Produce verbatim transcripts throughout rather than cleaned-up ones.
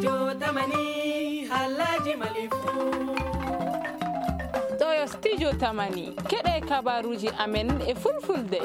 Jotamani, halaji malifu. Ɗo yo Studio Tamani, keɗe kabaruji amen e fulfulde.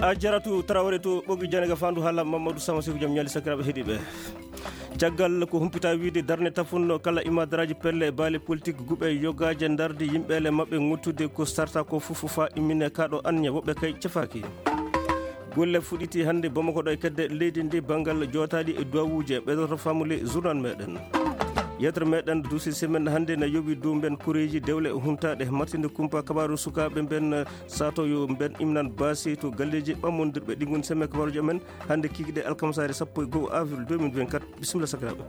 A jaratu Traoré to ɓogi janega fandu hala Mamadou Sama Sekou Jam Ñali sakiraɓe heɗiɓe. Caggal ko humpita wiide darne tafunno kala imadaraaji pelle e baale politique guɓe yogaaje ndardi yimɓeele maɓɓe ŋottude ko sarta ko fof fa immine kaɗo anniya woɓɓe kay cefaaki. Golle fuɗɗiti hannde Bamako ɗo e kedde leydi ndi banngal jootaali e duwawuuje ɓeydoto famule journal meɗen. Yettere meɗen duusi semaine hannde na yowi dow mben koreeji dewle huntaaɗe martinde kumpa kabaru sukaaɓe mben sato yo mben imnan baasi to galleeji ɓammondirɓe ɗi ngoni semaine kabaruji amen. Hannde kikiɗe alkamsaare sappo e go'o avril deux mille vingt-quatre. Bisimilla sakiraaɓe.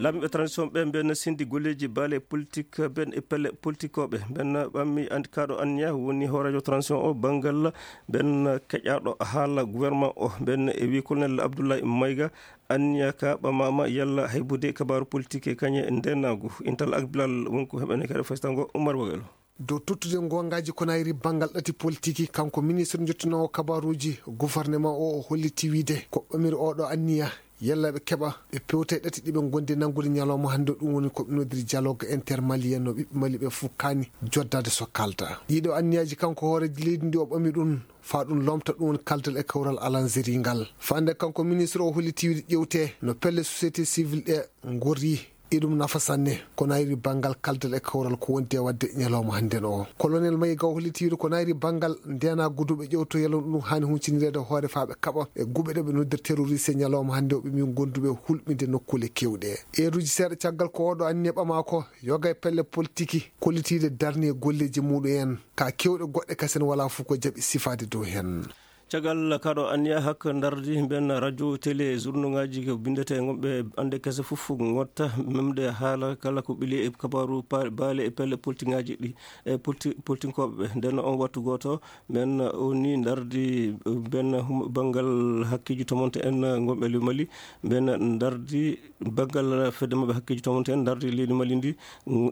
Laamiiɓe transition ɓe mben sindi golleeji baale politique ɓen e pelle politikooɓe ɓen ɓammi and kaɗo anniya woni hooreejo transition o banngal ɓen keƴaaɗo haala gouvernement o ɓen e wi colonel Abdoulaye Maïga. Anniya ka ɓamama yalla haybude kabaru politique e kañe ndenaagu intal ak bilal wonko heɓene kadi faytango Oumar Wagalo. Dow tottude goongaaji ko nayri banngal ɗati politiki, kanko ministre jottinoowo kabaruuji gouvernement o, o holliti wiide ko ɓamiri oɗo anniya yalla ɓe keɓa ɓe pewta e ɗati ɗi ɓe ngondi nanngude ñalawma hannde, ɗum woni ko ɓe nodiri dialogue intermalien no ɓiɓɓe Mali ɓe fof kaani joddaade so kaalda. Ɗiɗo anniyaaji kanko hooreejo leydi ndi o ɓami ɗum faa ɗum lomta ɗum woni kaldal e kawral alanzeri ngal. Faande kanko ministre o holliti wiide ƴewte no pelle société civile ɗe ngorri. Iɗum nafa sanne, kono ayri banngal kaldal e kawral ko wondi e waɗde ñalawma hannden o. Colonel Maïga o holliti wiide ko nayri banngal ndeenaa guduɓe ƴewto yalon ɗum haani huncinireede hoore faa ɓe kaɓa e guɓe ɗe ɓe noddir terroriste ñalawma hannde o ɓe min gonduɓe hulɓinde nokkuule keewɗe. Eeruuji seeɗa caggal ko oɗo anniya ɓama ko yoga e pelle politiki kollitiiɗe darni e golleeji muɗum en. Ka keewɗe goɗɗe kasen walaa fof ko jaɓi sifaade dow heen. Caggal kaɗo anniya hak ndardi mben radio télé journaux ngaji ko bindete ngomɓe ande kese fof ngotta memde haala kala ko ɓili e kabaru pa- baale e pelle politique ngaji ɗi e politi- politikoɓe ɓe nden on wattu goto mben o ni ndardi mben hum- banngal hakkeji tomonte en ngomɓe le Mali mben ndardi banngal fedde maɓɓe hakkeji tomonte en ndardi leydi Mali ndi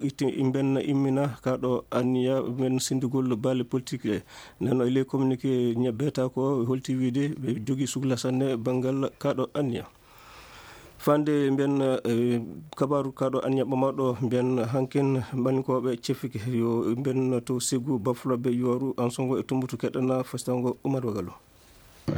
itti mben immina kaɗo anniya mben sindugol baale politique ɗe. Nden o e ley communiqué ña beeta ko holti wiide ɓe jogii sukla sanne banngal kaɗo anniya. Fande mbiyen eh, kabaru kaɗo anniya ɓamaɗo mbiyen hankin mbanikooɓe cefike yo mbiyen to segu bafloɓe yoru ansongo e tumbutu keɗɗana fastango Umar Wagalo.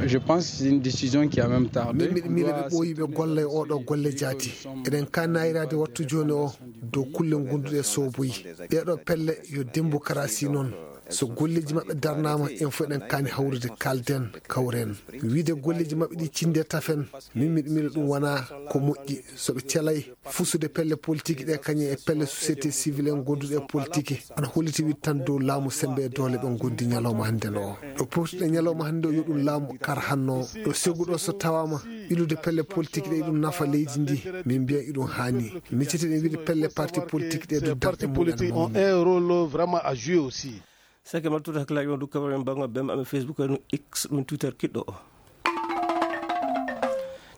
Je pense que c'est une décision qui a même tardé. Min miɗo miila ɓe ɓooyi ɓe golla e oɗo golle jaati. Eɗen kaanayiraade wattu jooni o dow kulle ngonduɗe sooboyi. Ɗeɗo pelle yo démocratie noon. So golleeji maɓɓe darnaama, en fof eɗen kaani hawrude, kaalden, kawren. Wiide golleeji maɓɓe ɗi cinde tafen, min miɗo miila ɗum wonaa ko moƴƴi. So ɓe celay fusude pelle politique ɗe, kañum e pelle société civile en gonduɗe e politique, ana holliti wiide tan dow laamu sembe e doole ɓe ngondi ñalawma hannde o. Ɗo powtuɗen ñalawma hannde o yo ɗum laamu kar hanno. Ɗo seguɗo so tawaama ɓilude pelle politique ɗe, iɗum nafa leydi ndi, min mbiya iɗum haani. Miccitiɗen wiide pelle parti politique ɗe du darɗe mumen. Parti politique ont un rôle vraiment à jouer aussi. Sake maltude hakkilaaji on du kabaru en bango bem amen Facebook en X ɗum Twitter kiɗɗo o.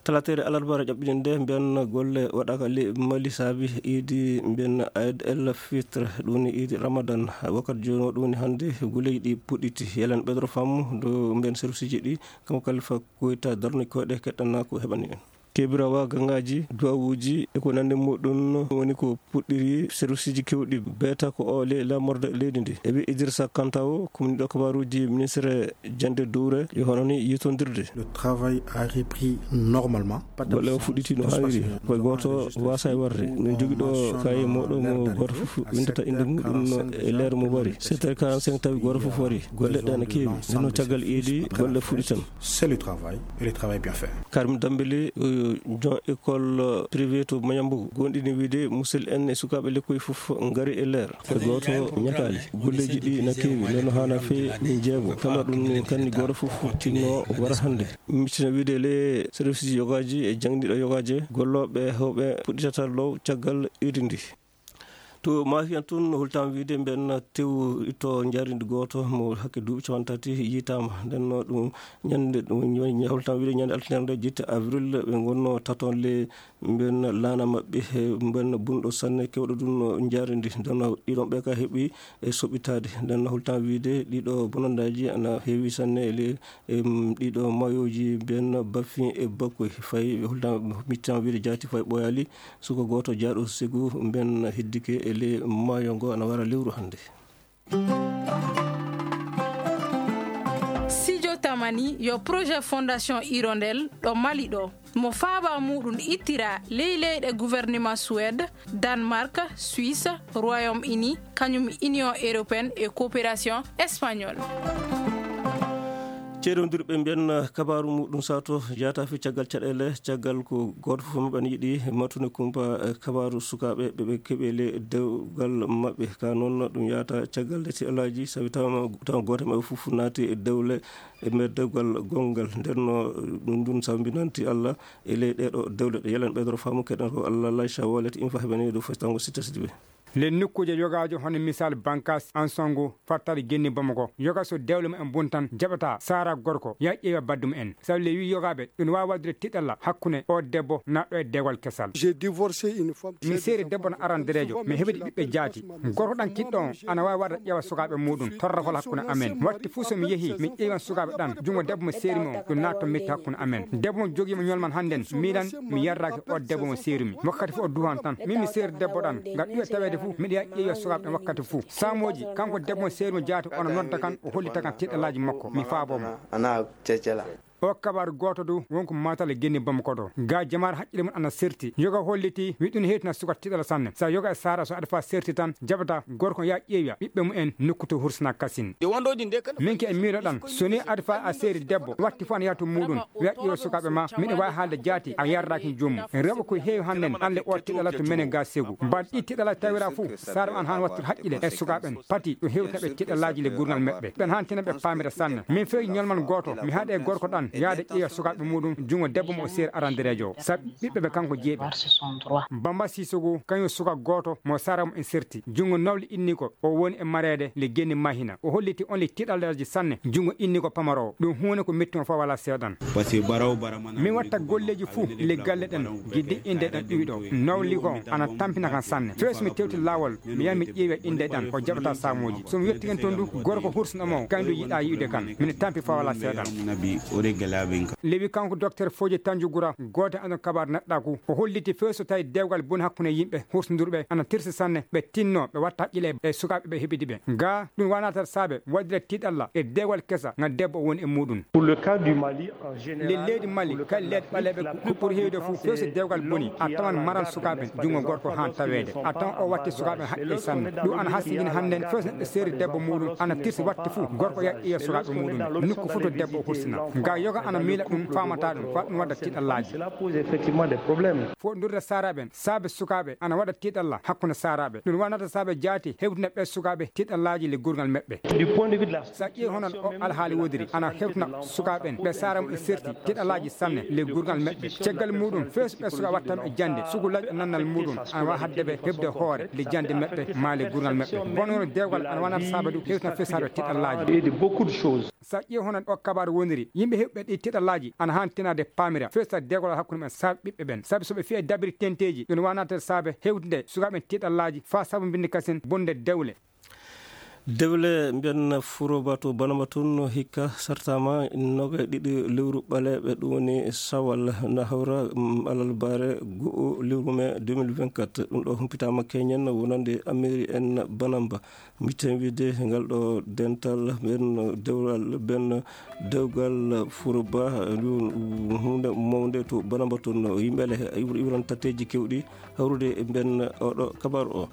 Talatere alarba ra ƴaɓɓiɗen nde mbiyan golle waɗaka le Mali saabi iidi mbiyan Aid el Fitr ɗum ni iidi Ramadan. Wakkati jooni o ɗum ni hannde golleeji ɗi puɗɗiti. Yelen ɓedro famu do mbiyan serviceji ɗi kanko Kalifa Koyta darni koyɗe keɗɗana ko heɓani en. Kebirawa gangaaji, duwawuuji e ko nanndi muɗum woni ko puɗɗiri serviceji keewɗi beeta ko o le lamorde leydi ndi. E wi Idrissa Kanta o, ko woni ɗo kabaruuji ministre jannde duure yo hono ni yitondirde. Le travail a repris normalement. Golle o fuɗɗiti no haaniri. Koye gooto waasa e warde. No jogi ɗo kaye moɗo mo gooto fof windata innde muɗum e leer mo wari. Sept heures quarante-cinq tawi gooto fof wari. Golle ɗe no keewi. Nde no caggal iidi golle fuɗɗitan. C'est le travail et le travail bien fait. Karim Dambélé, euh, jon école, euh, privé to Mayambo, gonɗini wiide musil en e sukaaɓe lekkoy fof ngari e leer. Ko gooto ñataali. Golleeji ɗi na keewi, nono haana fee min jeego. Kama ɗum ni kanni gooto fof tinno wara hannde. Miccina wiide le service yogaaji e jangniiɗo yogaaji, gollooɓe hewɓe puɗɗitata low caggal iidi ndi. To Mafiyan tun, holtam wiide mben tew to njarindi gooto mo hakke duuɓi capanɗe tati yitaama. Nden no ɗum ñande, ɗum ñande, holtam wiide ñande altine nde jetti avril, ɓe ngonno taton le mben laana maɓɓe, he mben bunɗo sanne kewɗo ɗum no njarindi. Nden no ɗiɗon ɓe ka heɓi e soɓitaade. Nden no holtam wiide ɗiɗo bonandaaji ana heewi sanne e le, em, ɗiɗo mayoji mben baffi e bakkoy fay holtam mittan wiide jaati fay ɓoyali. Suka gooto jaaɗo segu mben hiddike e le maayo ngo ana wara lewru hannde. Sijo Tamani yo projet Fondation Hirondelle ɗo Mali ɗo. Mo faaba muɗum ittira ley leyɗe gouvernement Suède, Danemark, Suisse, Royaume-Uni, kañum Union Européenne e Coopération Espagnole. Ceerondirɓe mbiyan kabaaru muɗum sato jaata fi caggal caɗeele, caggal ko gooto fof maɓɓe ne yiɗi matude kumpa, eh, kabaaru sukaaɓe ɓe ɓe keɓi le dewgal maɓɓe. Ka noon ɗum yaata caggal nde si alaaji, sabi tawa, tawa gooto maɓɓe fof naati e dewle e nder dewgal gonngal. Nden no ɗum ɗum sambinanti Allah e ley ɗeɗo dewle ɗe. Yelen ɓeydoro faamu keɗen ko Allah lay sa wallet in fa heɓani ɗo fes tango sitta sidi ɓe. Le nokkuuje yogaajo hono misal Bankas, Ansongo, Fattari, Genni, Bamako. Yoga so dewle mumen bontan, jaɓata saara gorko, ya ƴeewa baddu mumen. Sabu le wi yogaaɓe, ɗum waawi waɗude tiɗalla hakkunde o debbo naɗɗo e dewal kesal. J'ai divorcé une femme. Mi seeri debbo no arandereejo, mi heɓidi ɓiɓɓe jaati. Gorko ɗan kiɗɗo on, ana waawi waɗa ƴeewa sukaaɓe muɗum, torragol hakkunde amen. Watti fuu so mi yehi, mi ƴeewan sukaaɓe ɗan, jungo debbo mo seeri mo, ɗum naatto metti hakkunde amen. Debbo mo jogii mo ñolman hannden, miilan mi yarraaki o debbo mo seeri mi. Wakkati fuu o duhan tan, min mi seeri debbo ɗan, ngam ɗuɓe taweede fuu, miɗo yaha ƴeewa sukaaɓe ɗan wakkati fuu. Saamooji, kanko debbo mo seeri mo jaati, ono nodda kan, o hollita kan tiɗalaaji makko, mi faabo mo. O kabaaru gooto du, wonko Matal e Genni Bamako ɗo. Ga jamaare haqqille mum ana serti. Yoga holliti, wi ɗum hewtina suka tiɗala sanne. Sa yoga e saara so aɗa fa serti tan, jaɓata gorko ya ƴeewa ɓiɓɓe mumen nokku to hursina kasin. Min ke e miiloɗan, so ni aɗa fa a seeri debbo, watti fof ana yaha to muɗum, wiya ƴeewa sukaaɓe ma, miɗo waawi haalde jaati, a yardaaki joomum. Rewɓe ko heewi hannden, alle o tiɗala to menen ga segu. Mbaɗ ɗi tiɗala tawira fof, saara an han wattude haqqille e sukaaɓe en. Pati ɗum hewtina ɓe tiɗalaaji le gurngal maɓɓe. Ɓen han tina ɓe paamira sanne. Min fewi ñolman gooto, mi haɗe e gorko ɗan, yaade ƴeewa sukaaɓe muɗum, jungo debbo mo o seeri arandereejo o. Sabu ɓiɓɓe ɓe kanko jeeɓi. Bamba Sissoko, kañum suka gooto mo saara mo en serti. Jungo nawli inni ko, o woni e mareede le Genni Mahina. O holliti on le tiɗalaaji sanne, jungo inni ko pamaro o. Ɗum huune ko metti mo fa wala seeɗan. Min watta golleeji fuu le galle ɗen, giddi innde ɗan ɗuwi ɗo. Nawli ko ana tampina kan sanne. Fees mi tewti laawol, mi yaha mi ƴeewa innde ɗan, o jaɓata saamooji. So mi yetti hen toon du, gorko hursino mo, kañum du yiɗa yi'ude kan. Min tampi fa wala seeɗan. Lewi kanko Docteur Fodje Tanjugura, gooto e andon kabaar neɗɗaaku. O holliti fees so tawi dewgal boni hakkunde yimɓe hursindurɓe, ana tirsi sanne, ɓe tinno, ɓe watta haqqille e sukaaɓe ɓe heɓidi ɓe. Ga, ɗum wanatat saabe, waɗire tiɗalla e dewgal kesa, nga debbo woni e muɗum. Pour le cas du Mali, en général, le leydi Mali, kay leyɗe ɓaleeɓe ko ɓuri heewde fof, few so dewgal boni, a tawan maral sukaaɓe, junngo gorko haan taweede. A tawan o watti sukaaɓe haqqe sanne. Ɗum ana hasindini hannden, few so neɗɗo seeri debbo muɗum, ana tirsi watti fof, gorko yaƴƴoya sukaaɓe muɗum. Nokku fof to debbo o hursina. Nga yoga ana miila ɗum, faamata ɗum, fa ɗum wadda tiɗallaaji. Cela pose effectivement des problèmes. Fof ndurde saaraaɓe en, saabe sukaaɓe, ana waɗa tiɗalla hakkunde saaraaɓe. Ɗum wonata saabe jaati hewtina ɓe sukaaɓe tiɗallaaji le gurngal maɓɓe. Du point de vue de la Sa ƴeewi hono o alhaali wodiri, ana hewtina sukaaɓe en, ɓe saara mum e serti tiɗallaaji sanne le gurngal maɓɓe. Caggal muɗum, feesu ɓe suka wattan e jannde, sugu laƴ e nannal muɗum, ana waawi hadde ɓe heɓde hoore le jannde maɓɓe, maa le gurngal maɓɓe. Bonono dewgal ana wanata saabe du hewtina fesaade tiɗallaaji. Et de beaucoup de choses. Sa ƴeewi hono o kabaaru woniri, yimɓe heɓɓe ɗi tiɗallaaji ana haan tinaade paamira, feesa dewgal hakkunde men saabe ɓiɓɓe ɓen. Sabi so ɓe fiya dabiri tenteeji, ɗum wonata saabe hewtinde sukaaɓe en tiɗallaaji faa sabu mbinndi kasen bonde dewle. Dewle mbiyan Furoba to Banama tun hikka sartama noga e ɗiɗi lewru ɓaleeɓe, ɗum woni Sawal na hawra, mm, alarbaare go'o lewru mai deux mille vingt-quatre. Ɗum ɗo humpitaama keñen wonande Ameri en Banamba. Mitten wiide ngal ɗo dental ɓen dewgal ɓen dewgal Furoba, ɗum huunde mawnde to Banamba tun. Yimɓe le iwr-, iwran tatteeji kewɗi hawrude e mben oɗo kabaru o.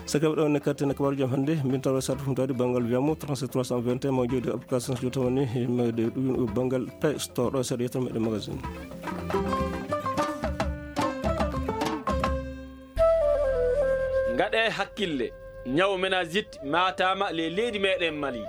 Saka ɗo ne katten kabaru jam hannde, min tawa sartu fum tawde banngal wiyamo trente-sept trois cent vingt et un, ma jodi application so tawani, ma de ɗum banngal Play Store ɗo seeɗa yettan meɗen magazine. Ngaɗe hakkille, ñaw meningite maataama le leydi meɗen Mali.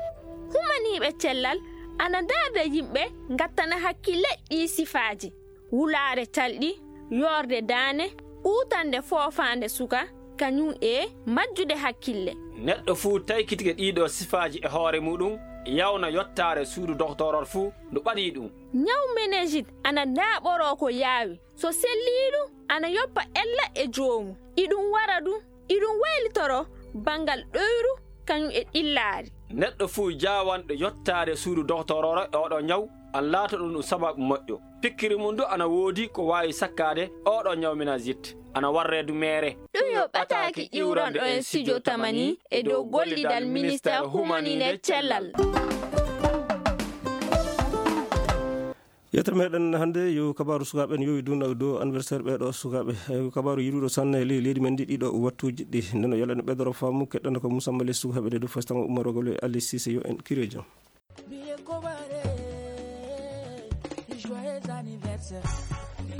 Humaniiɓe cellal ana ndaarda yimɓe ngattana hakkille ɗii sifaaji. Wulaare talɗi, yoorde daane, uutande foofaande suka, kañum e majjude hakkille. Neɗɗo fuu taykitike ɗiiɗoo sifaaji e hoore muuɗum, yawna yottaare suudu doktooror fuu ndu ɓadii ɗum. Ñaw meningite ana ndaaɓoroo ko yaawi. So sellii ɗum, ana yoppa ella e joomu. Iɗum wara ɗum, iɗum waylitoro banngal ɗoyru kañum e ɗillaari. Neɗɗo fuu jaawanɗo yottaade suudu doktoororo e oɗo ñaw, ana laato ɗum ɗum sababu moƴƴo. Pikkiri mum du ana woodi ko waawi sakkaade oɗo ñaw meningite, ana warree du meere. Ɗum yo ɓataaki iwranɗo en studio Tamani e dow gollidal ministeer humaninde cellal. Yettere meɗen hannde yo kabaaru sukaaɓe en yowi duna dow anniversaire ɓeeɗo sukaaɓe. Eh, kabaaru yiɗuɗo sanne e ley leydi men ndi ɗiɗo wattuuji ɗi. Nden o yalani ɓeydoro faamu keɗɗano ko Moussa Mbaye sukaaɓe ɗe dow Fastango Umaro Gole Ali Cissé yo en kirejo.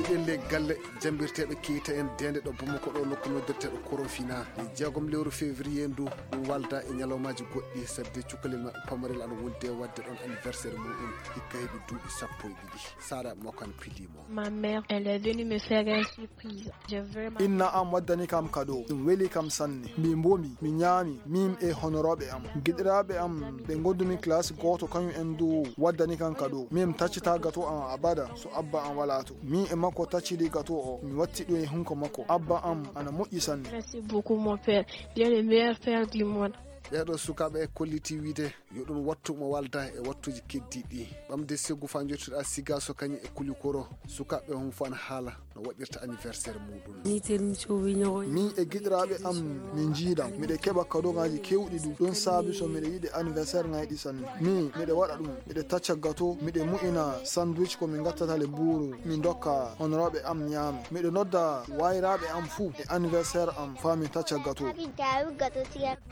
Ɗen le galle jambirteeɓe kiita en dende ɗo Bamako ɗo nokku noddirteeɗo Korofina. Jeegom lewru février ndu ɗum walda e ñalawmaaji goɗɗi sabi de cukalel maɓɓe pamarel ana wondi e waɗde ɗon anniversaire muɗum hikka heɓi duuɓi sappo e ɗiɗi. Sara Mokan Pilimo. Ma mère, elle est venue me faire une surprise. J'ai vraiment Inna am waddani kam kado. Ɗum weli kam sanne. Mi mbomi, mi ñaami, min e honorooɓe am. Giɗiraaɓe am ɓe ngondumi classe gooto kañum en du waddani kam kado. Min taccita gato am abada so abba am walaa to. Min e makko taccidi gato o. Mi watti ɗum e hunko makko. Abba am ana moƴƴi sanne. Merci beaucoup, mon père. Tu es le meilleur père du monde. Ɓeeɗo sukaaɓe kolliti wiide yo ɗum wattu mo walda e wattuuji keddiiɗi. Ɓamde Segu faa njottuɗa Sigaso kañum e Kulikoro, sukaaɓe hon fof ana haala no waɗirta anniversaire muɗum. Min e giɗiraaɓe am min njiidan, miɗe keɓa kadogaaji keewɗi du. Ɗum saabi so miɗe yiɗi anniversaire ŋayɗi sanne. Min miɗe waɗa ɗum, miɗe tacca gato, miɗe mu'ina sandwich ko min ngattata le buuru, min ndokka honorooɓe am ñaama. Miɗe nodda wayraaɓe am fuu e anniversaire am faa min tacca gato.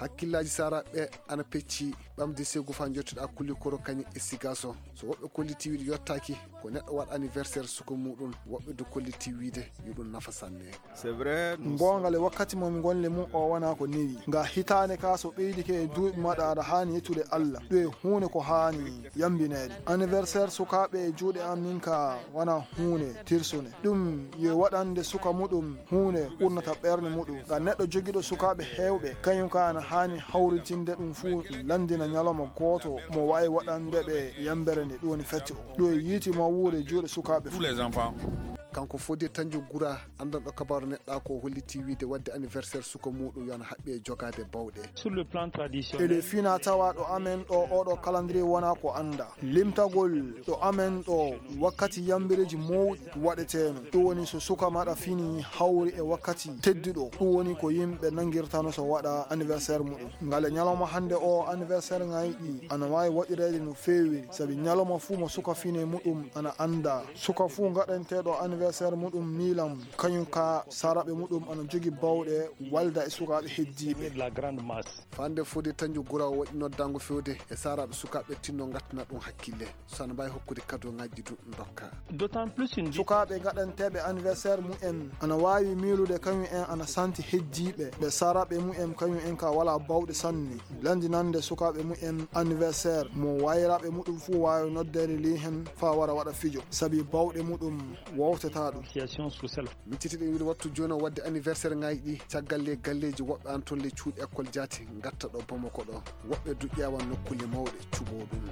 Hakkillaaji Sara ɓe ana pecci. Ɓamde Segu faa njottuɗa Kulikoro kañum e Sigaso. So woɓɓe kolliti wiide yottaaki ko neɗɗo waɗa anniversaire suka muɗum, woɓɓe du kolliti wiide yo ɗum nafa sanne. C'est vrai. Goonga le, wakkati mo mi ngonle mum o wona ko newi. Nga hitaande ka so ɓeydike e duuɓi maɗa aɗa haani yettude Allah. Ɗum e huunde ko haani yambineede. Anniversaire sukaaɓe e juuɗe am min ka wona huunde tirsunde. Ɗum yo waɗande suka muɗum huunde ɓurnata ɓernde muɗum. Ngam neɗɗo jogiiɗo sukaaɓe heewɓe, kañum ka ana haani hawritinde ɗum fuu, lanndina ñalawma gooto mo waawi waɗande ɓe yambere nde, ɗum woni fette o. Ɗum e yiiti mawwuure juuɗe sukaaɓe fuu. Kanko Fodé Tanjo Gura, anndanɗo kabaaru neɗɗa ko, holliti wiide waɗde anniversaire suka muɗum yo ana haɓɓi e jogaade bawɗe. Sur le plan traditionnel. E le fina tawa ɗo amen ɗo, oɗo calendrier wona ko annda. Limtagol ɗo amen ɗo wakkati yambireeji mawɗi waɗeteeno. Ɗum woni so suka maɗa fini hawri e wakkati tedduɗo. Ɗum woni ko yimɓe nangirtano so waɗa anniversaire muɗum. Ngale ñalawma hannde o anniversaire ŋayɗi ana waawi waɗireede no feewi, sabi ñalawma fuu mo suka fine muɗum ana annda. Suka fuu gaɗanteeɗo anniversaire muɗum miilam, kañum ka saraɓe muɗum ana jogi bawɗe walda e sukaaɓe heddiiɓe. De la grande masse. Fande Fodé Tanjo Gura o waɗi noddaango fewde e saraɓe sukaaɓe tinno ngattana ɗum hakkille. So ana mbaawi hokkude kado ŋajji du ndokka. D'autant plus une sukaaɓe gaɗanteeɓe anniversaire mumen ana waawi miilude kañum en ana santi heddiiɓe ɓe saraɓe mumen kañum en ka wala bawɗe sanne. Lanndinande sukaaɓe mumen anniversaire mo wayraaɓe muɗum fuu waawi noddeede li hen faa wara waɗa fijo, sabi bawɗe muɗum wowtata ɗum. Association sous self. Min citiɗen wiide wattu jooni o waɗde anniversaire ŋaaji ɗi, caggal le galleeji woɓɓe an toon le cuuɗi école jaati ngatta ɗo Bamako ɗo. Woɓɓe du ƴeewa nokkuule mawɗe cuɓoo ɗum.